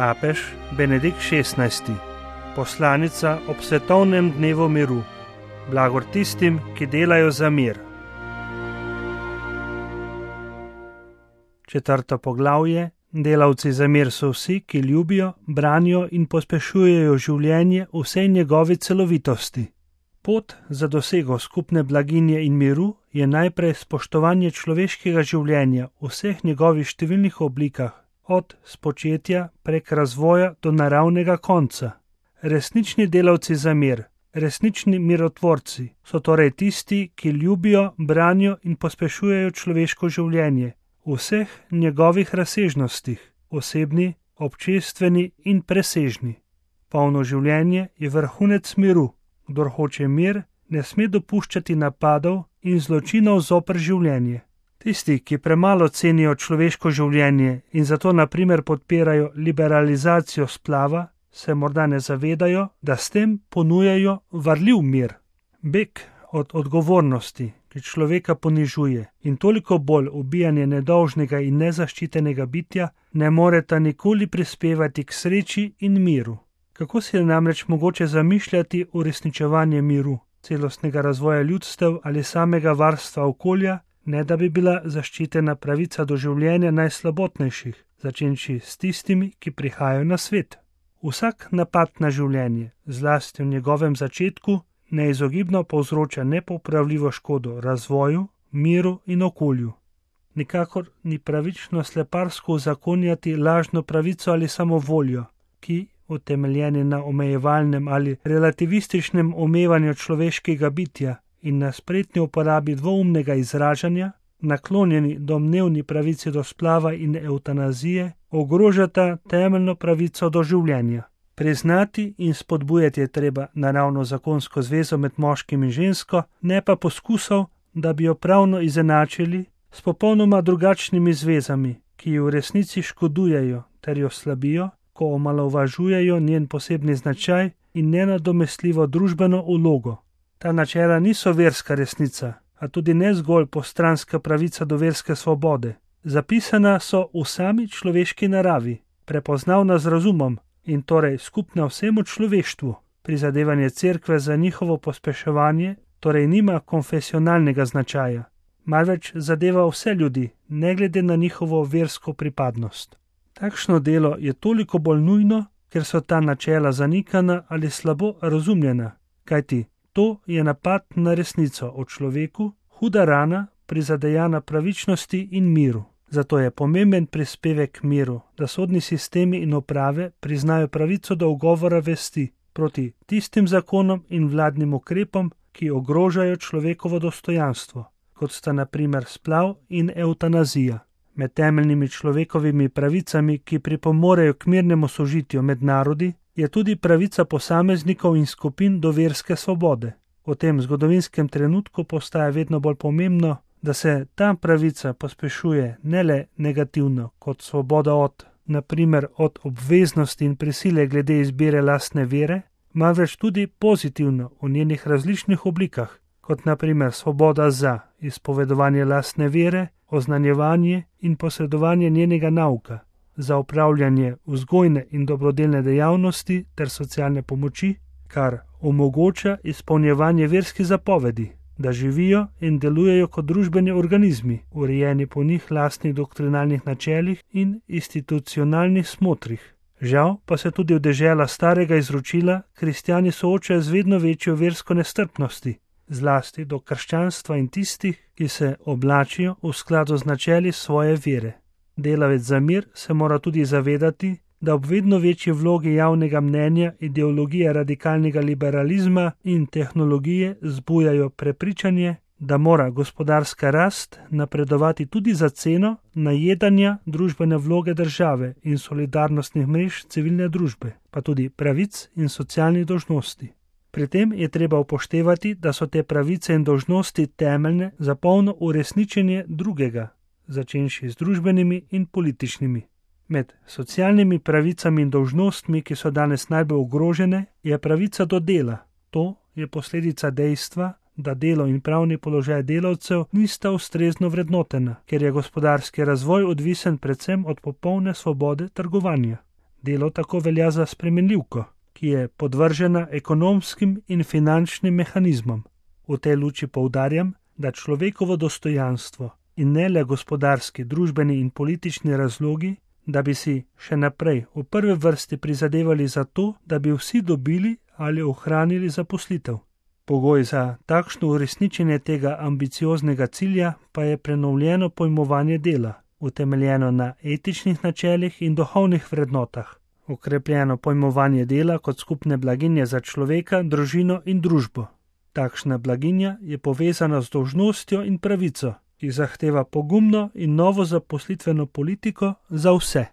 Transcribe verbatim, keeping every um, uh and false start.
Papež Benedikt šestnajsti. Poslanica ob svetovnem dnevu miru. Blagor tistim, ki delajo za mir. Četrto poglavje. Delavci za mir so vsi, ki ljubijo, branijo in pospešujejo življenje v vsej njegovi celovitosti. Pot za dosego skupne blaginje in miru je najprej spoštovanje človeškega življenja v vseh njegovih številnih oblikah, od spočetja prek razvoja do naravnega konca. Resnični delavci za mir, resnični mirotvorci so torej tisti, ki ljubijo, branijo in pospešujejo človeško življenje v vseh njegovih razsežnostih, osebni, občestveni in presežni. Polno življenje je vrhunec miru. Kdor hoče mir, ne sme dopuščati napadov in zločinov zoper življenje. Tisti, ki premalo cenijo človeško življenje in zato na primer podpirajo liberalizacijo splava, se morda ne zavedajo, da s tem ponujajo varljiv mir. Beg od odgovornosti, ki človeka ponižuje, in toliko bolj ubijanje nedolžnega in nezaščitenega bitja, ne moreta nikoli prispevati k sreči in miru. Kako si je namreč mogoče zamišljati uresničevanje miru, celostnega razvoja ljudstev ali samega varstva okolja, ne da bi bila zaščitena pravica do življenja najslabotnejših, začenši s tistimi, ki prihajajo na svet. Vsak napad na življenje, zlasti v njegovem začetku, neizogibno povzroča nepopravljivo škodo razvoju, miru in okolju. Nikakor ni pravično sleparsko uzakonjati lažno pravico ali samovoljo, ki, utemeljeni na omejevalnem ali relativističnem omevanju človeškega bitja in na spretni uporabi dvoumnega izražanja, naklonjeni domnevni pravici do splava in evtanazije, ogrožata temeljno pravico do življenja. Priznati in spodbujati je treba naravno zakonsko zvezo med moškim in žensko, ne pa poskusov, da bi jo pravno izenačili s popolnoma drugačnimi zvezami, ki ji v resnici škodujejo ter jo slabijo, ko omalovažujejo njen posebni značaj in nenadomestljivo družbeno vlogo. Ta načela niso verska resnica, a tudi ne zgolj postranska pravica do verske svobode. Zapisana so v sami človeški naravi, prepoznavna z razumom in torej skupna vsemu človeštvu. Prizadevanje cerkve za njihovo pospeševanje torej nima konfesionalnega značaja, marveč zadeva vse ljudi, ne glede na njihovo versko pripadnost. Takšno delo je toliko bolj nujno, ker so ta načela zanikana ali slabo razumljena, kajti to je napad na resnico o človeku, huda rana, prizadejana pravičnosti in miru. Zato je pomemben prispevek miru, da sodni sistemi in uprave priznajo pravico do ugovora vesti proti tistim zakonom in vladnim ukrepom, ki ogrožajo človekovo dostojanstvo, kot sta na primer splav in evtanazija. Med temeljnimi človekovimi pravicami, ki pripomorejo k mirnemu sožitju med narodi, je tudi pravica posameznikov in skupin do verske svobode. V tem zgodovinskem trenutku postaja vedno bolj pomembno, da se ta pravica pospešuje ne le negativno kot svoboda od, na primer od obveznosti in prisile glede izbire lastne vere, marveč tudi pozitivno v njenih različnih oblikah, kot na primer svoboda za izpovedovanje lastne vere, oznanjevanje in posredovanje njenega nauka, za upravljanje vzgojne in dobrodelne dejavnosti ter socialne pomoči, kar omogoča izpolnjevanje verskih zapovedi, da živijo in delujejo kot družbeni organizmi, urejeni po njih lastnih doktrinalnih načelih in institucionalnih smotrih. Žal pa se tudi v dežela starega izročila kristjani soočajo z vedno večjo versko nestrpnosti, zlasti do krščanstva in tistih, ki se oblačijo v skladu z načeli svoje vere. Delavec za mir se mora tudi zavedati, da ob vedno večji vlogi javnega mnenja ideologije radikalnega liberalizma in tehnologije zbujajo prepričanje, da mora gospodarska rast napredovati tudi za ceno najedanja družbene vloge države in solidarnostnih mrež civilne družbe, pa tudi pravic in socialnih dolžnosti. Pri tem je treba upoštevati, da so te pravice in dolžnosti temeljne za polno uresničenje drugega, začenši z družbenimi in političnimi. Med socialnimi pravicami in dolžnostmi, ki so danes najbolj ogrožene, je pravica do dela. To je posledica dejstva, da delo in pravni položaj delavcev nista ustrezno vrednotena, ker je gospodarski razvoj odvisen predvsem od popolne svobode trgovanja. Delo tako velja za spremenljivko, ki je podvržena ekonomskim in finančnim mehanizmom. V tej luči poudarjam, da človekovo dostojanstvo in ne le gospodarski, družbeni in politični razlogi, da bi si še naprej v prvi vrsti prizadevali za to, da bi vsi dobili ali ohranili zaposlitev. Pogoj za takšno uresničenje tega ambicioznega cilja pa je prenovljeno pojmovanje dela, utemeljeno na etičnih načelih in duhovnih vrednotah, okrepljeno pojmovanje dela kot skupne blaginje za človeka, družino in družbo. Takšna blaginja je povezana z dolžnostjo in pravico, ki zahteva pogumno in novo zaposlitveno politiko za vse.